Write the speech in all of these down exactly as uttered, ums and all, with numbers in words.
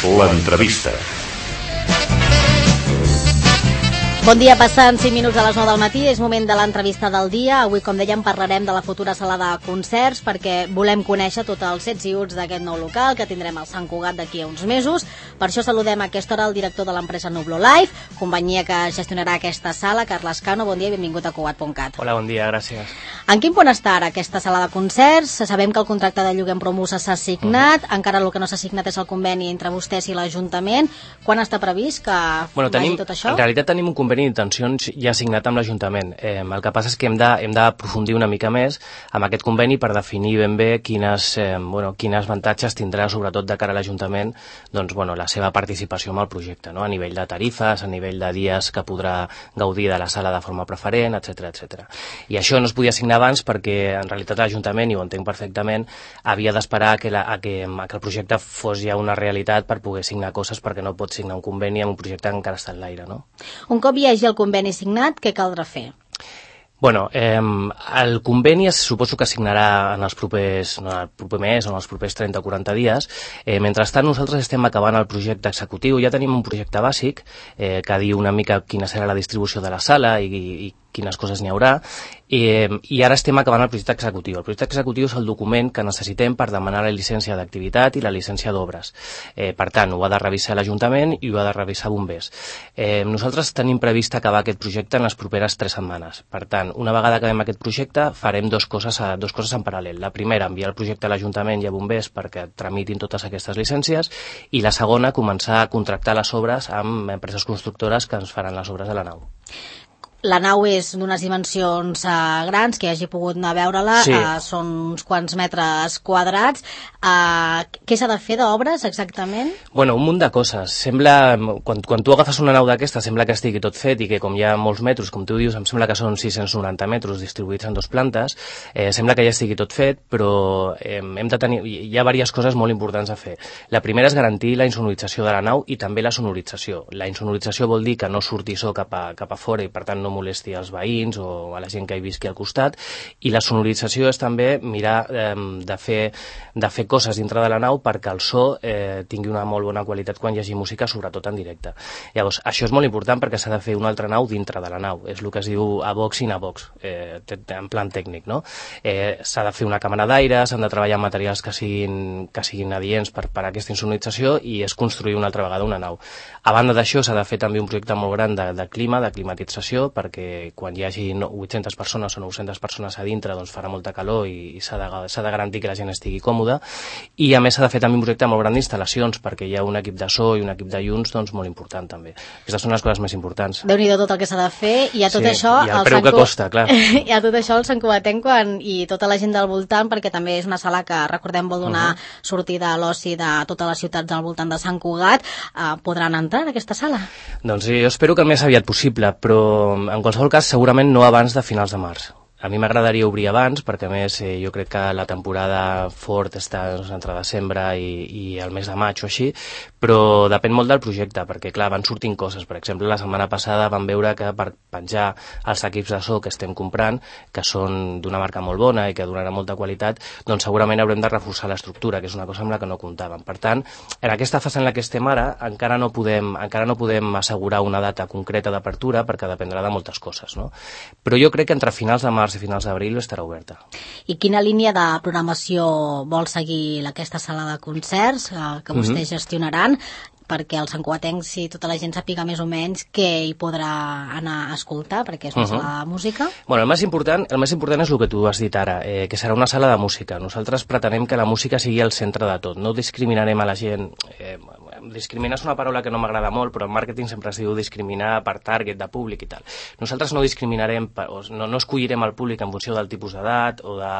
L'entrevista. Bon dia, passant cinc minuts a les nou del matí, és moment de l'entrevista del dia. Avui, com dèiem, parlarem de la futura sala de concerts perquè volem conèixer tots els ets i uts d'aquest nou local que tindrem al Sant Cugat d'aquí a uns mesos. Per això saludem a aquesta hora el director de l'empresa Nublo Live, companyia que gestionarà aquesta sala, Carles Cano. Bon dia i benvingut a Cugat punt cat. Hola, bon dia, gràcies. En quin punt està ara aquesta sala de concerts? Sabem que el contracte de lloguer amb Promusa s'ha signat, uh -huh. encara el que no s'ha signat és el conveni entre vostès i l'Ajuntament. Quan està previst que bueno, vagi tenim, tot això? En realitat tenim un conveni d'intencions ja signat amb l'Ajuntament. Eh, el que passa és que hem de, hem d'aprofundir una mica més amb aquest conveni per definir ben bé quines, eh, bueno, quines avantatges tindrà, sobretot de cara a l'Ajuntament, doncs, bueno, la seva participació en el projecte, no? A nivell de tarifes, a nivell de dies que podrà gaudir de la sala de forma preferent, etcètera, etcètera. I això no es podia signar abans perquè, en realitat, l'Ajuntament, i ho entenc perfectament, havia d'esperar que, la, a que, a que el projecte fos ja una realitat per poder signar coses, perquè no pot signar un conveni amb un projecte que encara està en l'aire, no? Un cop hi hagi el conveni signat, què caldrà fer? Bueno, eh, el conveni es, suposo que signarà en els propers, no, en el proper mes o en els propers trenta o quaranta dies. Eh, mentrestant, nosaltres estem acabant el projecte executiu. Ja tenim un projecte bàsic eh, que diu una mica quina serà la distribució de la sala i, i quines coses n'hi haurà, eh, i ara estem acabant el projecte executiu. El projecte executiu és el document que necessitem per demanar la llicència d'activitat i la llicència d'obres. Eh, per tant, ho ha de revisar l'Ajuntament i ho ha de revisar Bombers. Eh, nosaltres tenim previst acabar aquest projecte en les properes tres setmanes. Per tant, una vegada acabem aquest projecte, farem dos coses, a, dos coses en paral·lel. La primera, enviar el projecte a l'Ajuntament i a Bombers perquè tramitin totes aquestes llicències, i la segona, començar a contractar les obres amb empreses constructores que ens faran les obres de la nau. La nau és d'unes dimensions uh, grans, que hagi pogut anar a veure-la, sí. uh, són uns quants metres quadrats. Uh, què s'ha de fer d'obres, exactament? Bueno, un munt de coses. Sembla, quan, quan tu agafes una nau d'aquesta, sembla que estigui tot fet i que com hi ha molts metres, com tu dius, em sembla que són sis-cents noranta metres distribuïts en dos plantes, eh, sembla que ja estigui tot fet, però eh, hem de tenir, hi ha diverses coses molt importants a fer. La primera és garantir la insonorització de la nau i també la sonorització. La insonorització vol dir que no surti so cap a, cap a fora i per tant no molesti als veïns o a la gent que hi visqui al costat, i la sonorització és també mirar eh, de, fer, de fer coses dintre de la nau perquè el so eh, tingui una molt bona qualitat quan hi hagi música, sobretot en directe. Llavors, això és molt important perquè s'ha de fer una altra nau dintre de la nau, és el que es diu a box in a box, eh, en plan tècnic, no? Eh, s'ha de fer una càmera d'aire, s'han de treballar amb materials que siguin, que siguin adients per, per a aquesta insonorització, i és construir una altra vegada una nau. A banda d'això, s'ha de fer també un projecte molt gran de, de clima, de climatització, perquè quan hi hagi vuit-centes persones o nou-centes persones a dintre, doncs farà molta calor i, i s'ha de, s'ha de garantir que la gent estigui còmoda. I a més s'ha de fer també un projecte molt gran d'instal·lacions, perquè hi ha un equip de so i un equip de llums doncs, molt important també. Aquestes són les coses més importants. Déu-n'hi-do tot el que s'ha de fer, i a tot sí, això... I el preu que costa, clar. I a tot això el Sant Cugatenc quan... i tota la gent del voltant, perquè també és una sala que, recordem, vol donar uh -huh. sortida a l'oci de totes les ciutats al voltant de Sant Cugat, eh, podran entrar en aquesta sala? Doncs sí, jo espero que el més aviat possible, però en qualsevol cas segurament no abans de finals de març. A mi m'agradaria obrir abans, perquè a més eh, jo crec que la temporada fort està doncs, entre desembre i, i el mes de maig o així, però depèn molt del projecte, perquè clar, van sortint coses. Per exemple, la setmana passada vam veure que per penjar els equips de so que estem comprant, que són d'una marca molt bona i que donaran molta qualitat, doncs segurament haurem de reforçar l'estructura, que és una cosa amb la que no comptàvem. Per tant, en aquesta fase en la que estem ara, encara no podem, encara no podem assegurar una data concreta d'apertura, perquè dependrà de moltes coses, no? Però jo crec que entre finals de març i finals d'abril estarà oberta. I quina línia de programació vol seguir aquesta sala de concerts que, que vostès mm-hmm. gestionaran, perquè el santcugatenc, si tota la gent sàpiga més o menys què hi podrà anar a escoltar, perquè és una uh-huh. sala de música? Bueno, el més important, el més important és el que tu has dit ara, eh, que serà una sala de música. Nosaltres pretenem que la música sigui el centre de tot. No discriminarem a la gent... Eh, discriminar és una paraula que no m'agrada molt, però en màrqueting sempre es diu discriminar per target de públic i tal. Nosaltres no discriminarem, no, no escollirem el públic en funció del tipus d'edat o de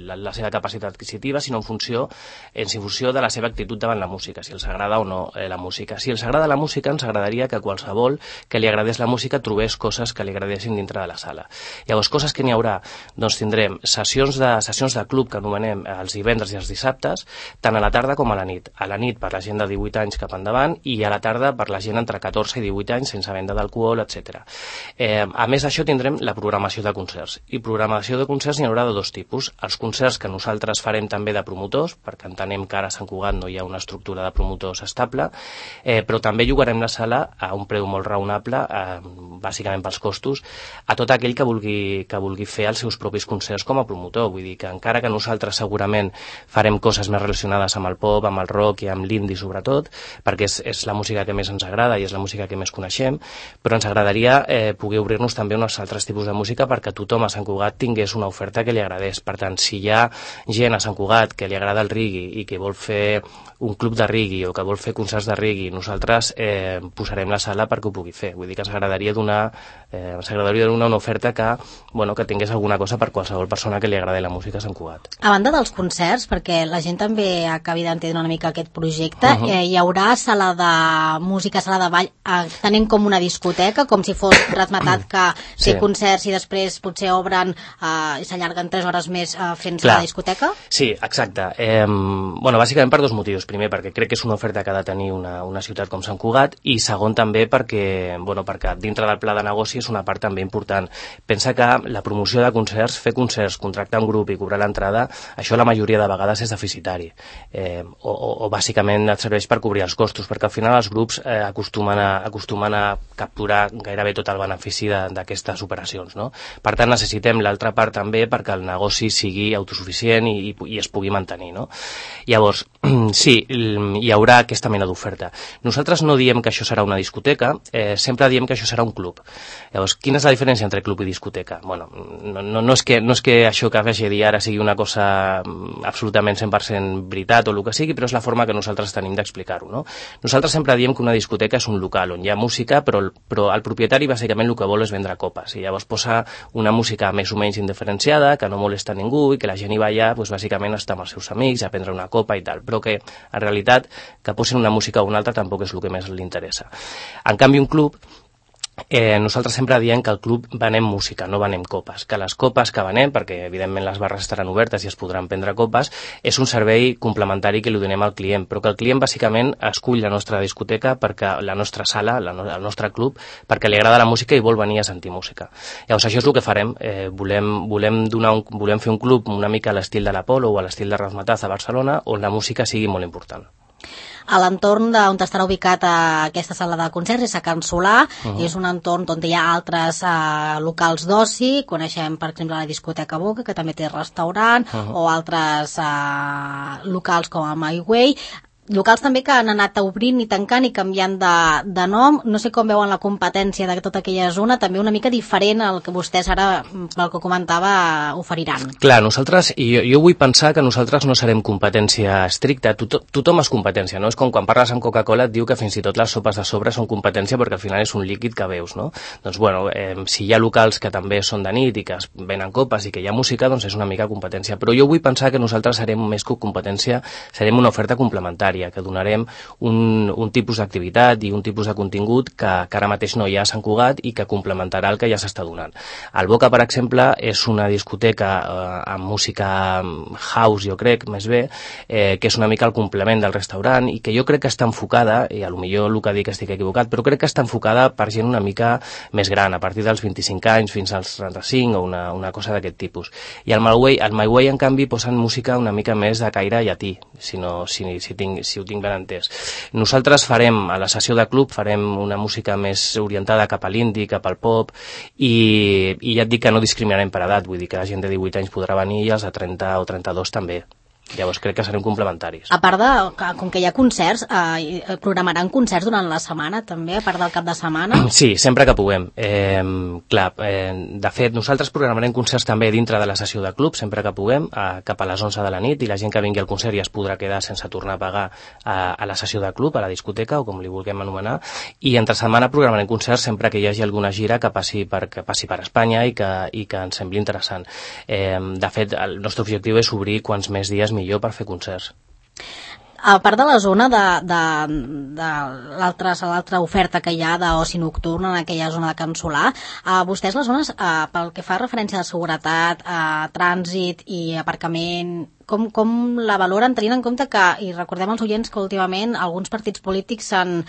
la, la seva capacitat adquisitiva, sinó en funció, en funció de la seva actitud davant la música, si els agrada o no eh, la música. Si els agrada la música, ens agradaria que qualsevol que li agradés la música trobés coses que li agradessin dintre de la sala. Llavors, coses que n'hi haurà, doncs tindrem sessions de, sessions de club que anomenem els divendres i els dissabtes, tant a la tarda com a la nit. A la nit, per la gent de divuit anys anys cap endavant, i a la tarda per la gent entre catorze i divuit anys sense venda d'alcohol, etcètera. Eh, a més d'això tindrem la programació de concerts, i programació de concerts n'hi haurà de dos tipus: els concerts que nosaltres farem també de promotors, perquè entenem que ara a Sant Cugat no hi ha una estructura de promotors estable, eh, però també llogarem la sala a un preu molt raonable, eh, bàsicament pels costos, a tot aquell que vulgui, que vulgui fer els seus propis concerts com a promotor. Vull dir que encara que nosaltres segurament farem coses més relacionades amb el pop, amb el rock i amb l'indie sobretot, perquè és, és la música que més ens agrada i és la música que més coneixem, però ens agradaria eh, poder obrir-nos també a uns altres tipus de música perquè tothom a Sant Cugat tingués una oferta que li agradés. Per tant, si hi ha gent a Sant Cugat que li agrada el reggae i que vol fer un club de reggae o que vol fer concerts de reggae, nosaltres eh, posarem la sala perquè ho pugui fer. Vull dir que s'agradaria donar, eh, s'agradaria donar una oferta que, bueno, que tingués alguna cosa per qualsevol persona que li agradi la música a Sant Cugat. A banda dels concerts, perquè la gent també acabi d'entendre una mica aquest projecte, uh -huh. eh, hi haurà sala de música, sala de ball, eh, tenint com una discoteca, com si fos Razmetat que té sí. concerts i després potser obren eh, i s'allarguen tres hores més eh, fent sala de discoteca? Sí, exacte. Eh, bueno, bàsicament per dos motius. Primer, perquè crec que és una oferta que ha de tenir una, una ciutat com Sant Cugat, i segon també perquè, bueno, perquè dintre del pla de negoci és una part també important. Pensa que la promoció de concerts, fer concerts, contractar un grup i cobrar l'entrada, això la majoria de vegades és deficitari, eh, o, o, o bàsicament et serveix per cobrir els costos, perquè al final els grups eh, acostumen, a, acostumen a capturar gairebé tot el benefici d'aquestes operacions, no? Per tant, necessitem l'altra part també perquè el negoci sigui autosuficient i, i, i es pugui mantenir, no? Llavors, sí, hi haurà aquesta mena d'oferta. Nosaltres no diem que això serà una discoteca, eh, sempre diem que això serà un club. Llavors, quina és la diferència entre club i discoteca? Bueno, no, no, no, és, que, no és que això que vagi a dir ara sigui una cosa absolutament cent per cent veritat o el que sigui, però és la forma que nosaltres tenim d'explicar-ho, no? Nosaltres sempre diem que una discoteca és un local on hi ha música, però, però el propietari bàsicament el que vol és vendre copes, i llavors posa una música més o menys indiferenciada, que no molesta ningú i que la gent hi va allà, doncs, bàsicament està amb els seus amics a prendre una copa i tal, però que en realitat que posin una música o una altra tampoc és el que més li interessa. En canvi, un club, Eh, nosaltres sempre diem que al club venem música, no venem copes, que les copes que venem, perquè evidentment les barres estaran obertes i es podran prendre copes, és un servei complementari que li donem al client, però que el client bàsicament escull la nostra discoteca, perquè la nostra sala, la no, el nostre club, perquè li agrada la música i vol venir a sentir música. Llavors això és el que farem, eh, volem, volem, donar un, volem fer un club una mica a l'estil de l'Apolo o a l'estil de Razmetat a Barcelona, on la música sigui molt important. A l'entorn on estarà ubicat aquesta sala de concerts és a Can Solà, uh-huh. és un entorn on hi ha altres uh, locals d'oci, coneixem per exemple la discoteca Boca, que també té restaurant, uh-huh. o altres uh, locals com a My Way, locals també que han anat obrint i tancant i canviant de, de nom. No sé com veuen la competència de tota aquella zona, també una mica diferent al que vostès ara, pel que comentava, oferiran. Clar, nosaltres, i jo, jo vull pensar que nosaltres no serem competència estricta, Tot, tothom és competència, no? És com quan parles amb Coca-Cola et diu que fins i tot les sopes de sobre són competència perquè al final és un líquid que veus, no? Doncs bueno, eh, si hi ha locals que també són de nit i que es venen copes i que hi ha música, doncs és una mica competència, però jo vull pensar que nosaltres serem més que competència, serem una oferta complementària, que donarem un, un tipus d'activitat i un tipus de contingut que, que ara mateix no hi ha a Sant Cugat i que complementarà el que ja s'està donant. El Boca, per exemple, és una discoteca eh, amb música house, jo crec, més bé, eh, que és una mica el complement del restaurant i que jo crec que està enfocada, i a lo millor el que dic estic equivocat, però crec que està enfocada per gent una mica més gran, a partir dels vint-i-cinc anys fins als trenta-cinc o una, una cosa d'aquest tipus. I al My Way, al My Way, en canvi, posen música una mica més de caire llatí, si, no, si, si tinc si ho tinc ben entès. Nosaltres farem, a la sessió de club, farem una música més orientada cap a l'indie, cap al pop, i, i ja et dic que no discriminarem per edat, vull dir que la gent de divuit anys podrà venir i els de trenta o trenta-dos també. Llavors crec que serem complementaris. A part de, com que hi ha concerts, eh, programaran concerts durant la setmana també, a part del cap de setmana? Sí, sempre que puguem. Eh, clar, eh, de fet, nosaltres programarem concerts també dintre de la sessió de club, sempre que puguem, eh, cap a les onze de la nit, i la gent que vingui al concert ja es podrà quedar sense tornar a pagar a, a la sessió de club, a la discoteca, o com li vulguem anomenar, i entre setmana programarem concerts sempre que hi hagi alguna gira que passi per, que passi per Espanya i que, i que ens sembli interessant. Eh, de fet, el nostre objectiu és obrir quants més dies millor per fer concerts. A part de la zona de, de, de l'altra oferta que hi ha d'oci nocturn en aquella zona de Can Solà, eh, vostès les zones, eh, pel que fa referència de seguretat, eh, trànsit i aparcament, com, com la valoren, tenint en compte que, i recordem als oients que últimament alguns partits polítics s'han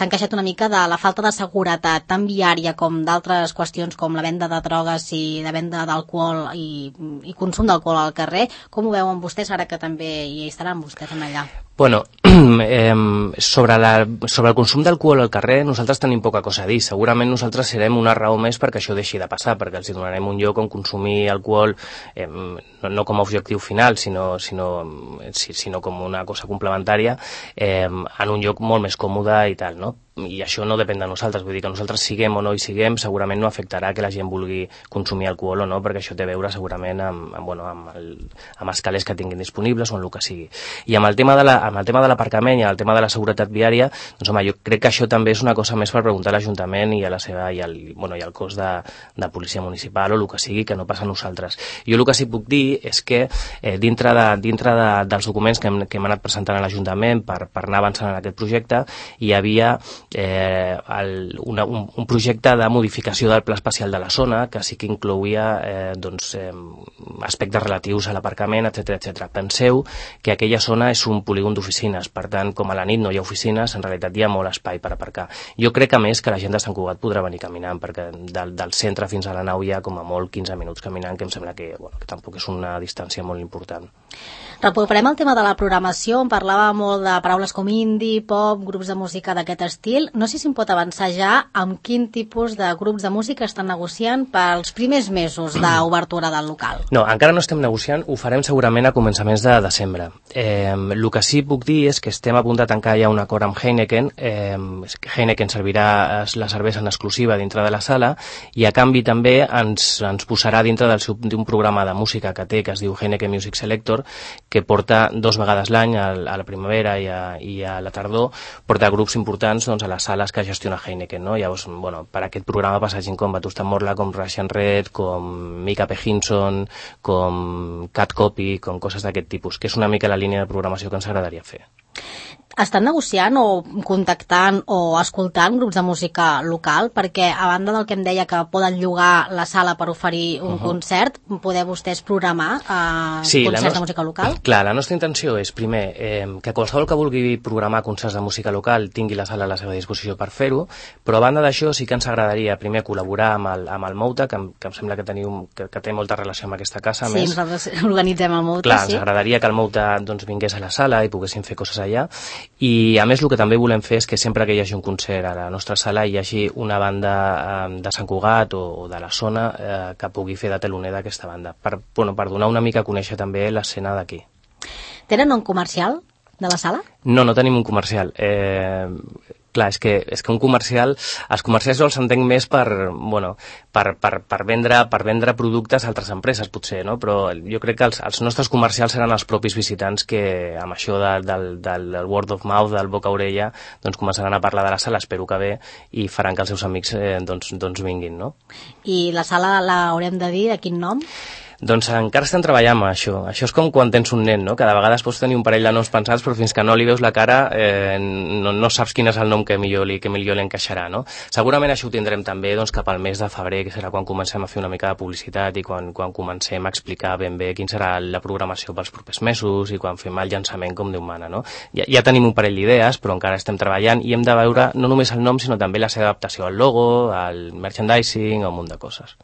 queixat una mica de la falta de seguretat tant viària com d'altres qüestions com la venda de drogues i la venda d'alcohol i, i consum d'alcohol al carrer. Com ho veuen vostès ara que també hi estaran vostès en allà? Bueno, eh, sobre, la, sobre el consum d'alcohol al carrer nosaltres tenim poca cosa a dir. Segurament nosaltres serem una raó més perquè això deixi de passar, perquè els donarem un lloc on consumir alcohol eh, no, no com a objectiu final, sinó, sinó, sinó com una cosa complementària eh, en un lloc molt més còmode i tal, no? I això no depèn de nosaltres, vull dir que nosaltres siguem o no hi siguem, segurament no afectarà que la gent vulgui consumir alcohol o no, perquè això té a veure segurament amb, amb, bueno, amb, el, amb els calés que tinguin disponibles o en el que sigui. I amb el tema de la, amb el tema de l'aparcament i el tema de la seguretat viària, doncs home, jo crec que això també és una cosa més per preguntar a l'Ajuntament i a la seva, i al, bueno, i al cos de, de policia municipal o el que sigui, que no passa a nosaltres. Jo el que sí puc dir és que eh, dintre, de, dintre de, dels documents que hem, que hem anat presentant a l'Ajuntament per, per anar avançant en aquest projecte, hi havia Eh, el, una, un, un projecte de modificació del pla especial de la zona que sí que inclouia eh, doncs, eh, aspectes relatius a l'aparcament, etcètera etcètera. Penseu que aquella zona és un polígon d'oficines, per tant, com a la nit no hi ha oficines, en realitat hi ha molt espai per aparcar. Jo crec a més que la gent de Sant Cugat podrà venir caminant, perquè del, del centre fins a la nau hi ha com a molt quinze minuts caminant, que em sembla que, bueno, que tampoc és una distància molt important. Recuperem el tema de la programació, on parlava molt de paraules com indie, pop, grups de música d'aquest estil. No sé si em pot avançar ja amb quin tipus de grups de música estan negociant pels primers mesos d'obertura del local. No, encara no estem negociant, ho farem segurament a començaments de desembre. Eh, el que sí puc dir és que estem a punt de tancar ja un acord amb Heineken. Eh, Heineken servirà la cervesa en exclusiva dintre de la sala i a canvi també ens, ens posarà dintre d'un programa de música que té, que es diu Heineken Music Selector, que porta dos vegades l'any, a la primavera i a, i a la tardor, porta grups importants doncs, a les sales que gestiona Heineken, no? Llavors, bueno, per aquest programa passa gent com Batusta Morla, com Russian Red, com Mika P. Hinson, com Cat Copy, com coses d'aquest tipus, que és una mica la línia de programació que ens agradaria fer. Estan negociant o contactant o escoltant grups de música local? Perquè a banda del que em deia que poden llogar la sala per oferir un uh -huh. concert, poder vostès programar eh, sí, concerts nostra, de música local? Clar, la nostra intenció és, primer, eh, que qualsevol que vulgui programar concerts de música local tingui la sala a la seva disposició per fer-ho, però a banda d'això sí que ens agradaria, primer, col·laborar amb el, amb el Mouta, que, que em sembla que, teniu, que, que té molta relació amb aquesta casa. Sí, més. nosaltres organitzem el Mouta, clar, sí. Ens agradaria que el Mouta doncs, vingués a la sala i poguéssim fer coses allà. I a més el que també volem fer és que sempre que hi hagi un concert a la nostra sala hi hagi una banda eh, de Sant Cugat o, o de la zona eh, que pugui fer de teloner d'aquesta banda, per, bueno, per donar una mica a conèixer també l'escena d'aquí. Tenen un comercial de la sala? No, no tenim un comercial. Eh, clar, és que, és que un comercial, els comercials els entenc més per, bueno, per, per, per, vendre, per vendre productes a altres empreses, potser, no? Però jo crec que els, els nostres comercials seran els propis visitants que amb això de, del, del, del word of mouth, del boca a orella, doncs començaran a parlar de la sala, espero que bé, i faran que els seus amics eh, doncs, doncs vinguin, no? I la sala l'haurem de dir de quin nom? Doncs encara estem treballant amb això. Això és com quan tens un nen, no? Cada vegada pots tenir un parell de noms pensats, però fins que no li veus la cara eh, no, no saps quin és el nom que millor li, que millor li encaixarà, no? Segurament això ho tindrem també doncs, cap al mes de febrer, que serà quan comencem a fer una mica de publicitat i quan, quan comencem a explicar ben bé quin serà la programació pels propers mesos i quan fem el llançament com Déu mana, no? Ja, ja tenim un parell d'idees, però encara estem treballant i hem de veure no només el nom, sinó també la seva adaptació al logo, al merchandising, un munt de coses.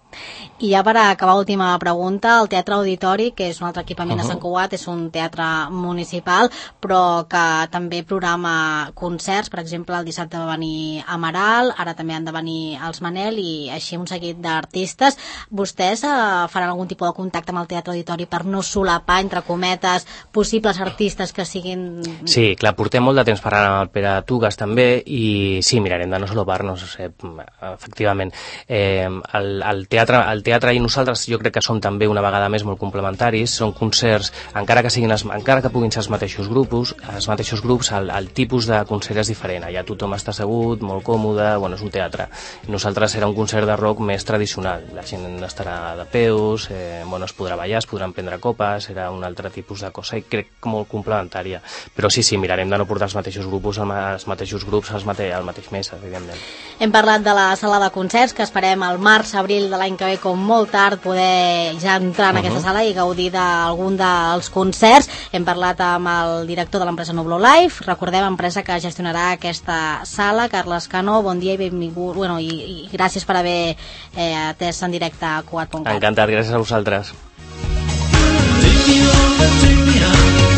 I ja per acabar, última pregunta, el Teatre Auditori, que és un altre equipament uh-huh. de Sant Cugat, és un teatre municipal, però que també programa concerts. Per exemple, el dissabte va venir Amaral, ara també han de venir els Manel i així un seguit d'artistes. Vostès eh, faran algun tipus de contacte amb el Teatre Auditori per no solapar, entre cometes, possibles artistes que siguin... Sí, clar, portem molt de temps parlant amb el Pere Tugas també i sí, mirarem de no solapar-nos, eh, efectivament. Eh, el, el, teatre, el teatre i nosaltres jo crec que som també una vegada més molt complementaris, són concerts, encara que siguin els, encara que puguin ser els mateixos grups, els mateixos grups, el, el tipus de concert és diferent, allà tothom està assegut, molt còmode, bueno, és un teatre. Nosaltres serà un concert de rock més tradicional, la gent estarà de peus, eh, bueno, es podrà ballar, es podran prendre copes, serà un altre tipus de cosa i crec que molt complementària, però sí, sí, mirarem de no portar els mateixos grups, els mateixos grups als mate, al mateix mes, evidentment. Hem parlat de la sala de concerts, que esperem al març, abril de l'any que ve, com molt tard, poder ja entrar en uh -huh. aquesta sala i gaudir d'algun dels concerts. Hem parlat amb el director de l'empresa Nublo Life, recordem, empresa que gestionarà aquesta sala. Carles Cano, bon dia i benvingut, bueno, i, i gràcies per haver eh, atès en directe a Cugat punt cat. Encantat, gràcies a vosaltres. Take me on, take me on.